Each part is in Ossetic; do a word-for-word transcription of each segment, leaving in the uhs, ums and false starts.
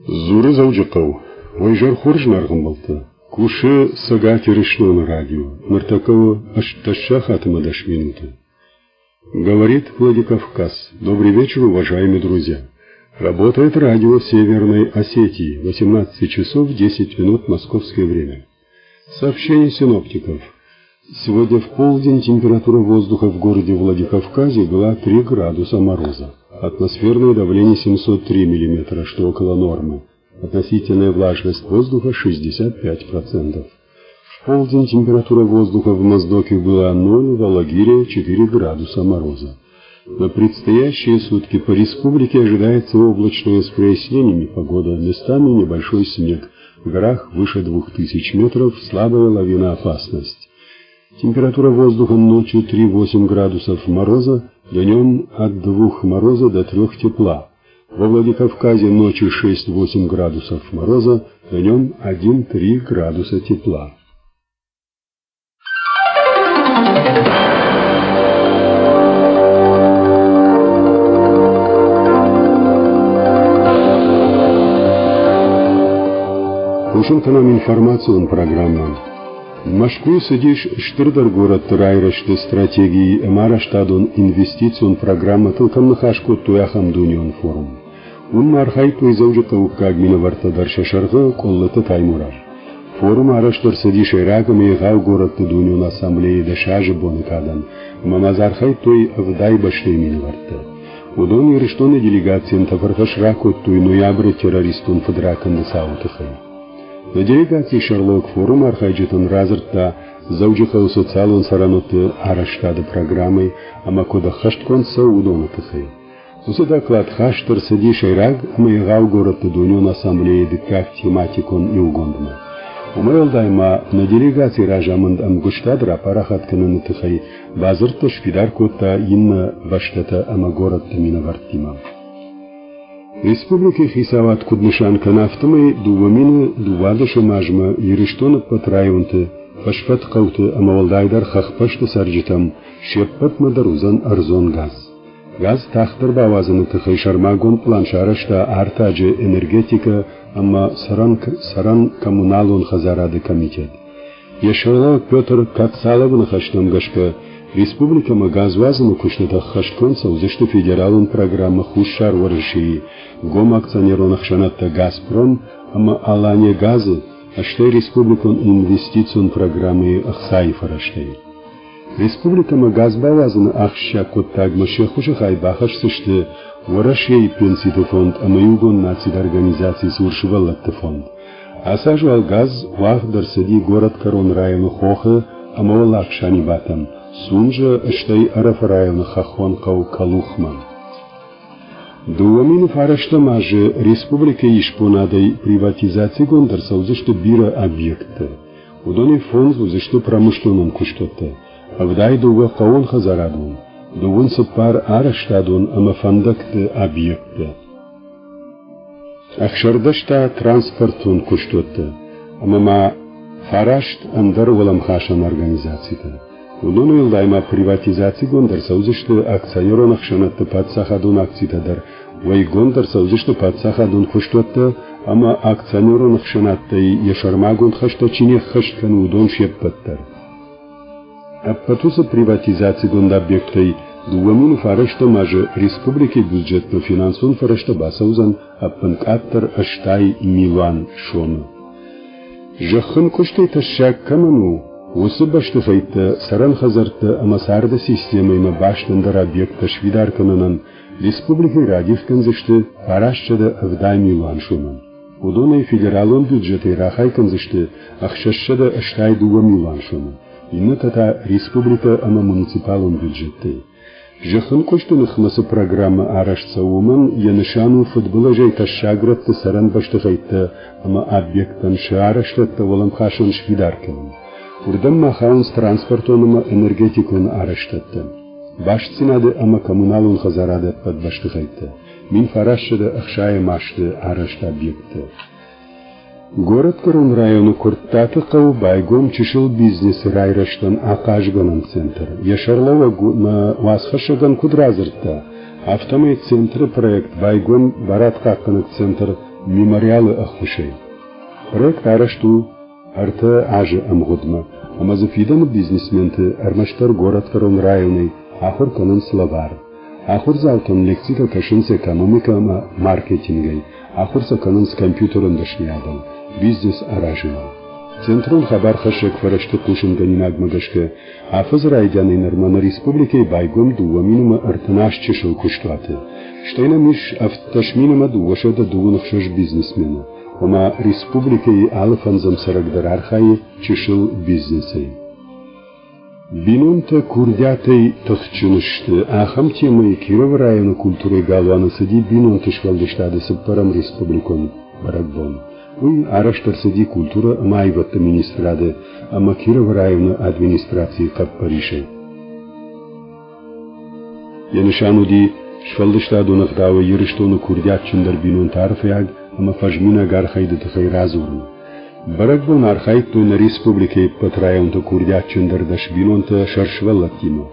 Дзуры Дзӕуджыхъӕу. Уӕ изӕр хорз, зынаргъ ӕмбӕлттӕ. Кусы Цӕгат Ирыстоны радио. Ныртӕккӕ у ӕстдӕс сахаты ӕмӕ дӕс минуты. Говорит Владикавказ. Добрый вечер, уважаемые друзья. Работает радио Северной Осетии. восемнадцать часов десять минут московское время. Сообщение синоптиков. Сегодня в полдень температура воздуха в городе Владикавказе была три градуса мороза. Атмосферное давление семьсот три миллиметра, что около нормы. Относительная влажность воздуха шестьдесят пять процентов. В полдень температура воздуха в Моздоке была ноль, в Алагире четыре градуса мороза. На предстоящие сутки по республике ожидается облачная с прояснениями погода, местами небольшой снег. В горах выше двух тысяч метров слабая лавиноопасность. Температура воздуха ночью три-восемь градусов мороза, днем от двух мороза до трёх тепла. Во Владикавказе ночью шесть-восемь градусов мороза, днем один-три градуса тепла. Хъусын кӕнӕм информацион программӕ. Мӕскуыйы цыдис стырдӕр горӕтты райрӕзты стратегийы ӕмӕ арӕзтадон инвестицион программӕтыл кӕм ныхас кодтой, ахӕм дунеон форум. Уым ма архайдтой дзӕуджыхъӕуккаг минӕвӕрттӕ дӕр, сӕ сӕргъы Къуыллыты Таймураз. Форум арӕзт ӕрцыди сӕйраг ӕмӕ егъау горӕтты дунеон ассамблейы дӕс азы боны кадӕн, ӕмӕ ма дзы архайдтой ӕвдай бӕстӕйы минӕвӕрттӕ. Уыдон Ирыстоны делегацийӕн тӕфӕрфӕс ракодтой ноябры террористон фыдракӕнды цауы тыххӕй. Нӕ делегацийы сӕргълӕууӕг форумы архайджытӕн радзырдта Дзӕуджыхъӕуы социалон цӕрӕнуӕтты арӕзтады программӕ ӕмӕ куыд ӕххӕстгонд цӕуы, уыдоны тыххӕй. Уыцы доклад хаст ӕрцыди сӕйраг ӕмӕ егъау горӕтты дунеон ассамблейы дыккаг тематикон иугондмӕ. Уымӕй уӕлдай ма нӕ делегацийы разамынд ӕмгуыстад рапарахат кӕныны тыххӕй бадзырдтӕ сфидар кодта иннӕ бӕстӕтӕ ӕмӕ горӕтты минӕвӕрттимӕ. Республикӕйы хицауад куыд нысан кӕны, афтӕмӕй дыууӕ мины дыууадӕсӕм азмӕ Ирыстоны ӕппӕт районты, фӕсфӕд хъӕуты ӕмӕ уӕлдайдӕр хӕхбӕсты цӕрджытӕм се ппӕтмӕ дӕр уыдзӕн ӕрдзон газ. Газ тагъддӕр бауадзыны тыххӕй сӕрмагонд пълан сарӕзта артаджы энергетикӕ ӕмӕ цӕрӕн коммуналон хӕдзарады комитет. Йӕ сӕргълӕууӕг Петр Кацаловы ныхӕстӕм гӕсгӕ, республикӕмӕ газ уадзыны куыстытӕ ӕххӕстгонд цӕудзысты федералон программӕ Хуссар Уӕрӕсейы гом акционерон ӕхсӕнадтӕ «Газпром» ӕмӕ «Алания Газы», стӕй республикон инвестицион программӕйы ӕхцайы фӕрӕзтӕй. Республикӕмӕ газ бауадзыны ахсджиаг хъуыддагмӕ се ххуысы хай бахӕсдзысты Уӕрӕсейы пенситы фонд ӕмӕ Иугонд Нациты Организацийы цур сывӕллӕтты фонд. Ацы аз уал газ уагъд ӕрцыди горӕтгӕрон районы Хохы ӕмӕ Уӕллаг Санибатӕм, Сунжӕ, стӕй Ӕрӕфы районы хӕххон хъӕу Калухмӕ. Дыууӕ мины фарӕстӕм азы республикӕйы исбонадӕй приватизацигонд ӕрцӕудзысты бирӕ объекттӕ. Уыдонӕй фондз уыдзысты промышленнон куыстуӕттӕ, ӕвдай дыууӕ хъӕууонхӕдзарадон, дыууын цыппар арӕзтадон ӕмӕ фӕндӕгты объекттӕ. Ӕхсӕрдӕс та транспортон куыстуӕттӕ ӕмӕ ма фараст ӕндӕр уӕлӕмхасӕн организацитӕ. Уыдон уӕлдай ма приватизацигонд ӕрцӕудзысты акционерон ӕхсӕнадты паддзахадон акцитӕ дӕр, уӕйгонд ӕрцӕудзысты паддзахадон куыстуӕттӕ ӕмӕ акционерон ӕхсӕнадтӕй йӕ сӕрмагонд хӕстӕ чи не ххӕст кӕны, уыдон се ппӕт дӕр. Ӕппӕт уыцы приватизацигонд объекттӕй дыууӕ мины фарӕстӕм азы республикӕйы бюджетмӕ финансон фӕрӕзтӕ бацӕудзӕн ӕппынкъаддӕр ӕстай милуан сомы. Зӕххын куыстӕй тӕссаг кӕмӕн у, уыцы бӕстыхӕйттӕ, цӕрӕн хӕдзӕрттӕ ӕмӕ царды системӕимӕ баст ӕндӕр объекттӕ сфидар кӕнынӕн республикӕйы радих кӕндзысты фарастсӕдӕ ӕвдай милуан сомы. Уыдонӕй федералон бюджетӕй рахай кӕндзысты ӕхсӕзсӕдӕ ӕстай дыууӕ милуан сомы, иннӕтӕ та республикӕ ӕмӕ муниципалон бюджеттӕй. Зӕххын куысты ныхмӕ цы программӕ арӕзт цӕуы, уымӕн йӕ нысан у фыдбылызӕй тӕссаг рӕтты цӕрӕн бӕстыхӕйттӕ ӕмӕ объекттӕн сӕ арӕзтӕдтӕ уӕлӕмхасӕн сфидар кӕнын. Уырдӕм ма хауынц транспортон ӕмӕ энергетикон арӕзтӕдтӕ, бастдзинады ӕмӕ коммуналон хӕдзарады ӕппӕт бӕстыхӕйттӕ, мин фарастсӕдӕ ӕхсайӕм азты арӕзт объекттӕ. Горӕтгӕрон районы Куырттаты хъӕуы байгом чысыл бизнесы райрӕзтӕн ахъазгӕнӕн центр. Йӕ сӕргълӕууӕг уацхӕссӕгӕн куыд радзырдта, афтӕмӕй центры проект байгом барадхъахъхъӕнӕг центр Мемориалы ӕххуысӕй. Проект арӕзт у ӕртӕ азы ӕмгъуыдмӕ, ӕмӕ дзы фидӕны бизнесменты ӕрмӕстдӕр горӕтгӕрон районӕй ахуыр кӕнынц лӕвар. Ахуырдзаутӕн лекцитӕ кӕсынц экономикӕ ӕмӕ маркетингӕй, ахуыр сӕ кӕнынц компьютерон дӕсныйадыл, бизнес аразыныл. Центрон хабархӕссӕг фӕрӕзты хъусынгӕнинагмӕ гӕсгӕ, афӕдзы райдианӕй нырмӕ нӕ республикӕйы байгом дыууӕ мин ӕмӕ ӕртын аст чысыл куыстуаты. Стӕй нӕм ис ӕвддӕс мин ӕмӕ дыууӕсӕдӕ дыууын ӕхсӕз бизнесмены. Ома республикӕйы алы фӕндзӕм цӕрӕг дӕр архайы чысыл бизнесӕй. Бинонтӕ курдиатӕй тыхджын сты. Ахӕм темӕйы Кировы районы культурӕйы галуаны цыди бинонты сфӕлдыстады цыппӕрӕм республикон бӕрӕгбон. Уый арӕзт ӕрцыди культурӕ ӕмӕ аивӕдты министрады ӕмӕ Кировы районы администрацийы хъӕппӕрисӕй. Йӕ нысан уыди сфӕлдыстадон ӕгъдауӕй Ирыстоны курдиатджындӕр бинонты арфӕйаг ӕмӕ фӕзминаг архайды тыххӕй радзурын. Бӕрӕгбон архайдтой нӕ республикӕйы ӕппӕт районты курдиатджындӕр дӕс бинонтӕ сӕ сывӕллӕттимӕ.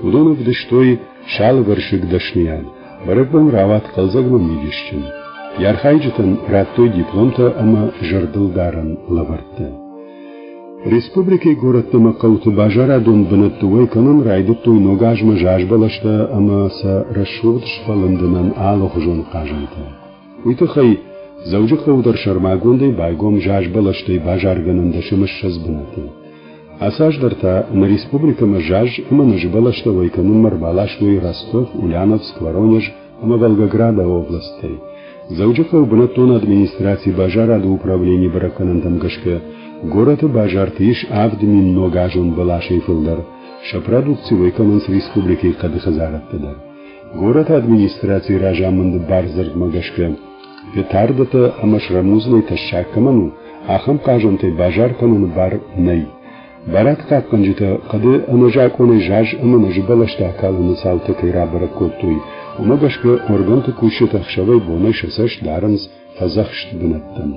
Уыдон ӕвдыстой сӕ алывӕрсыг дӕсныйад. Бӕрӕгбон рауад хъӕлдзӕг ӕмӕ мидисджын. Йӕ архайджытӕн радтой дипломтӕ ӕмӕ зӕрдылдарӕн лӕвӕрттӕ. Республикӕйы горӕтты ӕмӕ хъӕуты базарадон бынӕтты уӕй кӕнын райдыдтой ног азмӕ зазбӕлӕстӕ ӕмӕ сӕ рӕсугъд сфӕлындынӕн алыхуызон хъазӕнтӕ. Уый тыххӕй Дзӕуджыхъӕуы дӕр сӕрмагондӕй байгом зазбӕлӕстӕй базаргӕнӕн дӕс ӕмӕ ссӕдз бынаты. Ацы аз дӕр та нӕ республикӕмӕ заз ӕмӕ нӕзыбӕлӕстӕ уӕй кӕнынмӕ ӕрбаластой Ростов, Ульяновск, Воронеж ӕмӕ Волгограды областтӕй. Дзӕуджыхъӕуы бынӕттон администрацийы базарады управленийы бӕрӕггӕнӕнтӕм гӕсгӕ горӕты базарты ис авд мин ногазон бӕласӕй фылдӕр. Сӕ продукци уӕй кӕнынц республикӕйы хъӕды хӕдзарадты дӕр. Горӕты администрацийы разамынды бардзырдмӕ гӕсгӕ петардӕтӕ ӕмӕ срӕмудзынӕй тӕссаг кӕмӕн у, ахӕм хъазӕнтӕй базар кӕныны бар нӕй. Барадхъахъхъӕнджытӕ хъӕды ӕнӕзакъонӕй заз ӕмӕ нӕзы бӕлӕстӕ акалыны цаутӕ кӕй рабӕрӕг кодтой, уымӕ гӕсгӕ органты кусджытӕ ӕхсӕвӕй-бонӕй сӕ цӕст дарынц фӕдзӕхст бынӕттӕм.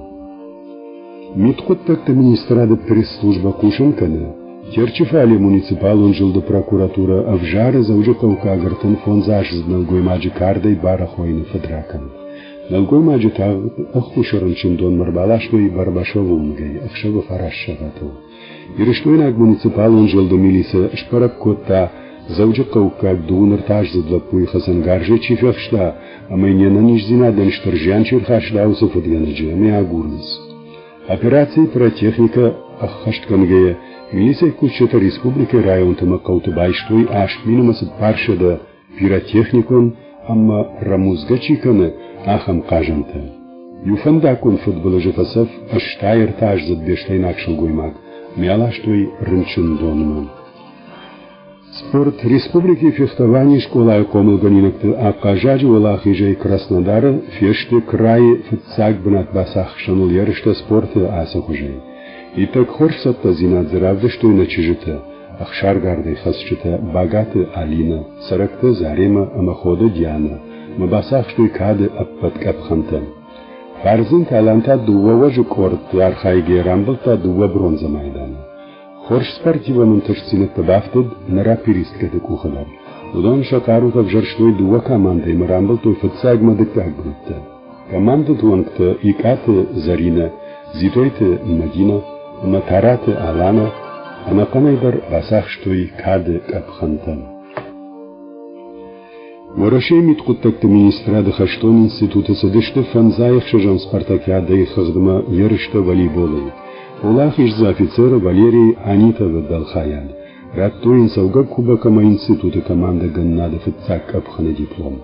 Мидхъуыддӕгты министрады пресс-службӕ хъусын кӕны, Терчы фале муниципалон зылды прокуратурӕ ӕвзары Дзӕуджыхъӕуккаг ӕртын фондзаздзыд нӕлгоймаджы кардӕй барӕхойыны фыдракӕнд. Нӕлгоймаджы тагъд ӕххуысы рынчындонмӕ ӕрбаластой Барбашовы уынгӕй ӕхсӕвы фараст сахатыл. Ирыстойнаг муниципалон зылды милицӕ сбӕрӕг кодта, Дзӕуджыхъӕуккаг дыууын ӕртӕаздзыд лӕппуйы хӕцӕнгарзӕй чи фехста ӕмӕ йын йе нӕниздзинадӕн стыр зиан чи ӕрхаста, уыцы фыдгӕнӕджы, ӕмӕ агурынц. Операцийы пиротехникӕ ӕххӕстгӕнгӕйӕ, милицӕйы кусджытӕ республикӕйы районты ӕмӕ хъӕуты байстой аст мин ӕмӕ цыппарсӕдӕ пиротехникон ӕмӕ рӕмудзгӕ чи кӕны, ахӕм хъазӕнтӕ. Иу фӕндаггон фыдбылызы фӕцӕф ӕстай ӕртӕаздзыд беслӕйнаг сылгоймаг, ме аластой рынчындонмӕ. Спорт республикӕйы фехтованийы скъолайы хъомылгӕнинӕгты ахъаззаджы уӕлахизӕй Краснодары фесты крайы фыццаг бынат бацахсыныл ерыстӕ спорты ацы хуызӕй. Иттӕг хорз цӕттӕдзинад дзы равдыстой нӕ чызджытӕ, ӕхсаргардӕй хӕцджытӕ Багаты Алинӕ, Цӕрӕкты Заремӕ ӕмӕ Ходы Дианӕ, ӕмӕ бацахстой кады ӕппӕт къӕпхӕнтӕ. Фӕрдзынты Алан та дыууӕ уӕзы къордты архайгӕйӕ рамбылдта дыууӕ бронзӕ майданы. Хорз спортивон ӕнтыстдзинӕдтӕ бафтыд нӕ рапиристкӕты къухы дӕр. Уыдон сӕ хъарутӕ ӕвзӕрстой дыууӕ командӕйы ӕмӕ рамбылдтой фыццаг ӕмӕ дыккаг бынӕттӕ. Командӕты уӕнгтӕ Икъаты Зӕринӕ, Дзитойты Мадинӕ ӕмӕ Тараты Аланӕ ӕнӕхъӕнӕй дӕр бацахстой кады къӕпхӕнтӕ. Уӕрӕсейы мидхъуыддӕгты министрады хӕстон институты цыдысты фӕндзай ӕхсӕзӕм спартакиадӕйы хыгъдмӕ ерыстӕ волейболӕй. Уӕлахиздзы офицер Валерий Анитовы дӕлхайад. Радтой йын цӕугӕ кубок ӕмӕ институты командӕгӕнынады фыццаг къӕпхӕны диплом.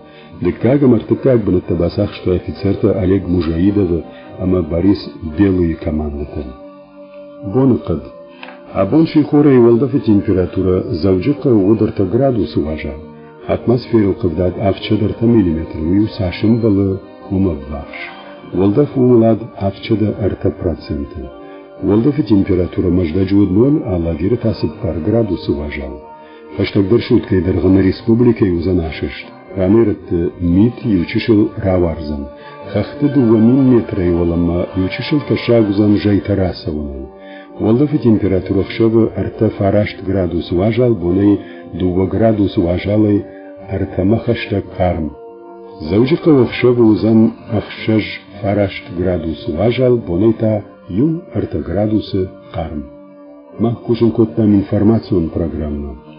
Дыккаг ӕмӕ ӕртыккаг бынӕттӕ бацахстой офицертӕ Олег Мужаидовы ӕмӕ Борис Белыйы командӕтӕ. Боныхъӕд. Абон сихорӕй уӕлдӕфы температурӕ Дзӕуджыхъӕуы уыд ӕртӕ градусы уазал. Атмосферыл хъыгдад авдсӕдӕ ӕртӕ миллиметры уый цас ӕмбӕлы, уымӕ ӕввахс. Уӕлдӕф уымӕлад авдсӕдӕ ӕртӕ проценты. Уӕлдӕфы температурӕ Мӕздӕджы уыд ноль, Алагиры та цыппар градусы уазал. Хӕстӕгдӕр суткӕйы дӕргъы нӕ республикӕйы уыдзӕн асӕст. Ранӕй-рӕтты мит иучысыл рауардзӕн. Хӕхты дыууӕ мин метрӕй уӕлӕмӕ иучысыл тӕссаг уыдзӕн зӕйтӕ рацӕуынӕй. Уӕлдӕфы температурӕ ӕхсӕвы ӕртӕ фараст градусы уазал, бонӕй дыууӕ градусы уазалӕй ӕртӕмӕ хӕстӕг хъарм. Дзӕуджыхъӕуы ӕхсӕвы уыдзӕн ӕхсӕз фараст градусы уазал, бонӕй та иу ӕртӕ градусы хъарм. Мах кусын кодтам информацион программӕ.